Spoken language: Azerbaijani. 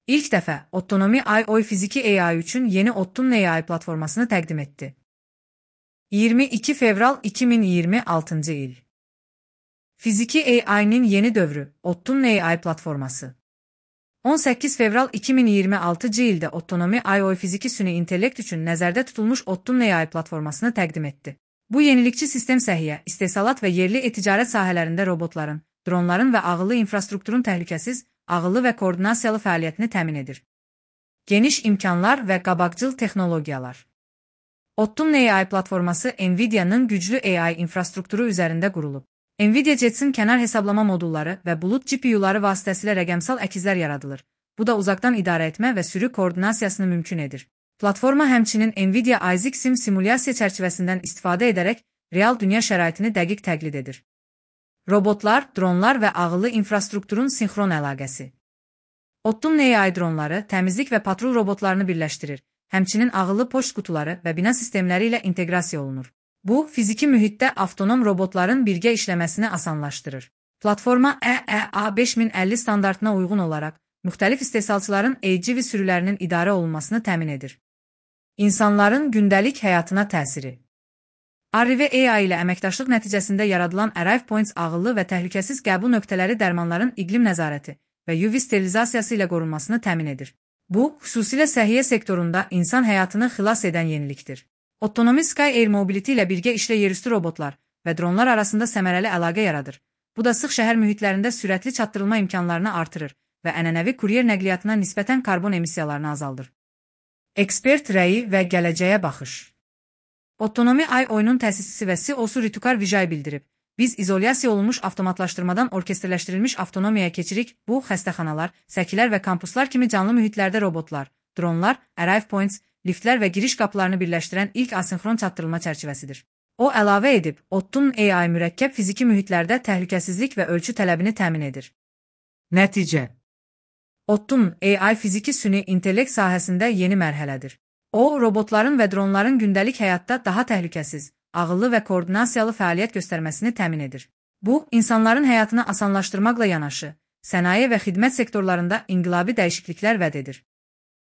İlk dəfə Autonomy AI fiziki AI üçün yeni Ottun AI platformasını təqdim etdi. 22 fevral 2026 il. Fiziki AI'nin yeni dövrü Ottun AI platforması. 18 fevral 2026 ildə Autonomy AI fiziki süni intellekt üçün nəzərdə tutulmuş Ottun AI platformasını təqdim etdi. Bu yenilikçi sistem səhiyyə, istehsalat və yerli ticarət sahələrində robotların, dronların və ağıllı infrastrukturun təhlükəsiz, ağıllı və koordinasiyalı fəaliyyətini təmin edir. Geniş imkanlar və qabaqcıl texnologiyalar. Ottun AI platforması NVIDIA'nın güclü AI infrastrukturu üzərində qurulub. NVIDIA Jetsin kənar hesablama modulları və bulut GPU'ları vasitəsilə rəqəmsal əkizlər yaradılır. Bu da uzaqdan idarə etmə və sürü koordinasiyasını mümkün edir. Platforma həmçinin NVIDIA Isaac Sim simulyasiya çərçivəsindən istifadə edərək real dünya şəraitini dəqiq təqlid edir. Robotlar, dronlar və ağıllı infrastrukturun sinxron əlaqəsi. Ottun AI dronları təmizlik və patrul robotlarını birləşdirir. Həmçinin ağıllı poçt qutuları və bina sistemləri ilə inteqrasiya olunur. Bu, fiziki mühitdə avtonom robotların birgə işləməsini asanlaşdırır. Platforma EEA 5050 standartına uyğun olaraq, müxtəlif istehsalçıların AGV sürülərinin idarə olunmasını təmin edir. İnsanların gündəlik həyatına təsiri. Arrive AI ilə əməkdaşlıq nəticəsində yaradılan Arrive Points ağıllı və təhlükəsiz qəbul nöqtələri dərmanların iqlim nəzarəti və UV sterilizasiyası ilə qorunmasını təmin edir. Bu, xüsusilə səhiyyə sektorunda insan həyatını xilas edən yenilikdir. Autonomy Sky Air Mobility ilə birgə işlə yerüstü robotlar və dronlar arasında səmərəli əlaqə yaradır. Bu da sıx şəhər mühitlərində sürətli çatdırılma imkanlarını artırır və ənənəvi kuryer nəqliyyatına nisbətən karbon emissiyalarını azaldır. Ekspert rəyi və gələcəyə baxış. Autonomy AI-nun təsisçisi və CEO-su Ritukar Vijay bildirib. Biz izolyasiya olunmuş avtomatlaşdırmadan orkestrləşdirilmiş avtonomiyaya keçirik. Bu, xəstəxanalar, səkilər və kampuslar kimi canlı mühitlərdə robotlar, dronlar, Arrive Points, liftlər və giriş qapılarını birləşdirən ilk asinxron çatdırılma çərçivəsidir. O əlavə edib, Ottun AI mürəkkəb fiziki mühitlərdə təhlükəsizlik və ölçü tələbini təmin edir. Nəticə. Ottun AI fiziki süni intellekt sahəsində yeni mərhələdir. O, robotların və dronların gündəlik həyatda daha təhlükəsiz, ağıllı və koordinasiyalı fəaliyyət göstərməsini təmin edir. Bu, insanların həyatını asanlaşdırmaqla yanaşı, sənaye və xidmət sektorlarında inqilabi dəyişikliklər vəd edir.